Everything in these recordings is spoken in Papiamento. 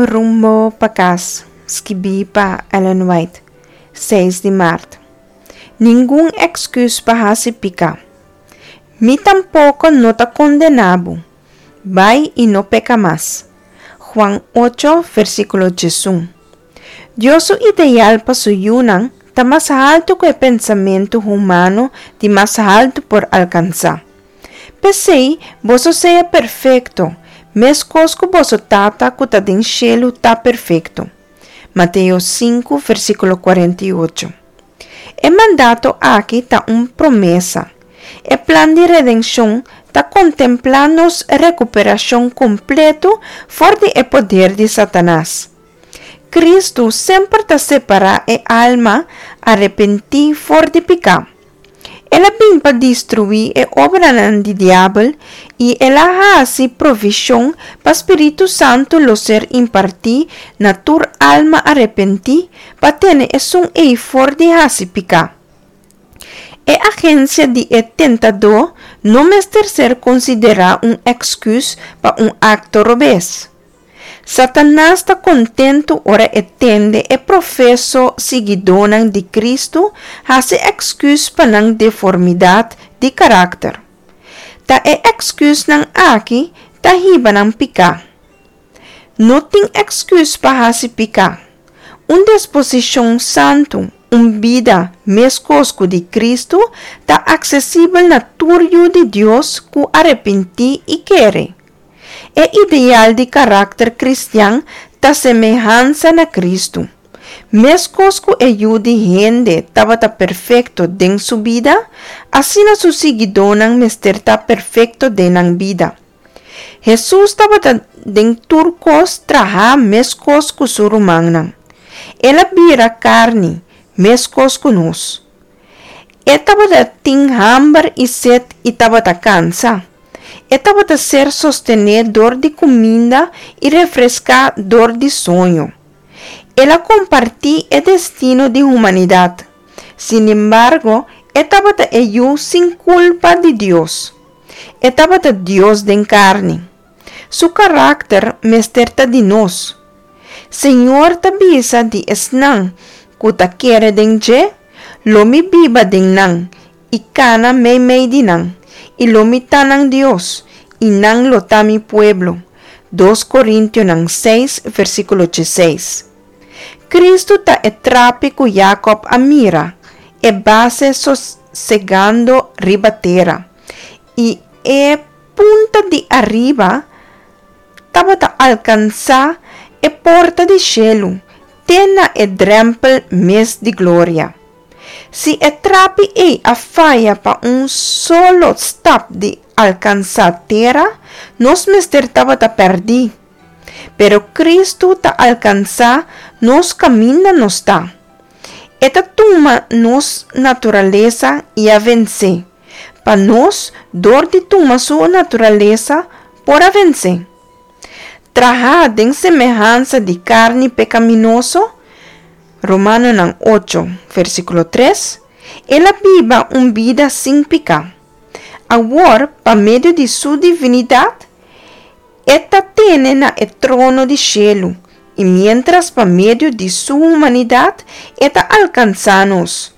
Rumbo pa Kas, skibí pa Ellen White, seis di mart. Ningun èksküs pa hasi piká. Mi tampoko no ta kondená bo. Bai i no peka mas. Juan ocho, versíkulo diesun. Dios su ideal pa su yunan ta mas haltu ku e pensamentu humano di mas haltu por alkansá. P'esei, boso sea perfekto, meskos ku boso Tata ku ta den shelu ta perfekto. Mateo sinku, versíkulo 48. E mandato aki ta un promesa. E plan di redenshon ta kontemplá nos rekuperashon kompleto for di e poder di Satanas. Kristu semper ta separá e alma arepentí for di piká. El a bin pa destruí e obranan di diabel i el a hasi provishon pa Spiritu Santu lo ser impartí na tur alma arepentí pa tene esun ei for di hasi piká. E agensia di e tentadó no mester ser konsiderá un èksküs pa un akto robes. Satanas ta kontentu ora e tende e profeso siguidónan di Kristu hasi èksküs pa nan deformidat di karakter. Ta e èksküsnan aki ta hiba nan piká. No tin èksküs pa hasi piká. Un disposishon santu, un bida meskos ku di Kristu, ta aksesibel na tur yu di Dios ku arepentí i kere. E ideal di karakter kristian ta semehansa na Kristu. Meskos ku e Yu di hende tabata perfekto den su bida, asina su siguidónan mester ta perfekto den nan bida. Hesus tabata den tur kos trahá meskos ku su rumannan. El a bira karni, meskos ku nos. E tabata tin hamber i set i tabata kansa. E tabata ser sostené dor di kuminda i refreská dor di soño. El a kompartí e destino di humanidat. Sinembargo, e tabata e Yu sin kulpa di Dios. E tabata Dios den karni. Su karakter mester ta di nos. Señor ta bisa di esnan ku ta kere den dje, Lo mi biba den nan i kana meimei di nan, i lo mi ta nan Dios, i nan lo ta mi pueblo. Dos Korintionan seis, versíkulo dieseis. Kristu ta e trapi ku Jakòb a mira, e base sosegando riba tera, i e punta di ariba tabata alkansá e porta di shelu te na e drèmpel mes di gloria. Si e trapi ei a faya pa un solo stap di alkansá tera, nos mester tabata pèrdí. Pero Kristu ta alkansá nos kaminda nos ta. E ta tuma nos naturalesa i a vensé, pa nos, dor di tuma su naturalesa, por a vensé. Trahá den semehansa di karni pekaminoso, Romanonan ocho, versíkulo tres, El a biba un bida sin piká. Awor, pa medio di Su divinidat, E ta tene na e trono di shelu, i miéntras pa medio di Su humanidat E ta alkansá nos,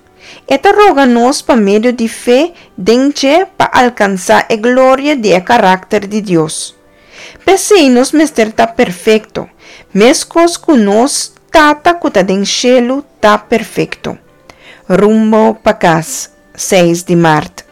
E ta roga nos pa medio di fe den dje pa alkansá e gloria di e karakter di Dios. P'esei nos mester ta perfekto, meskos ku nos Tata ku ta den shelu ta perfekto. Rumbo pa kas, seis di mart.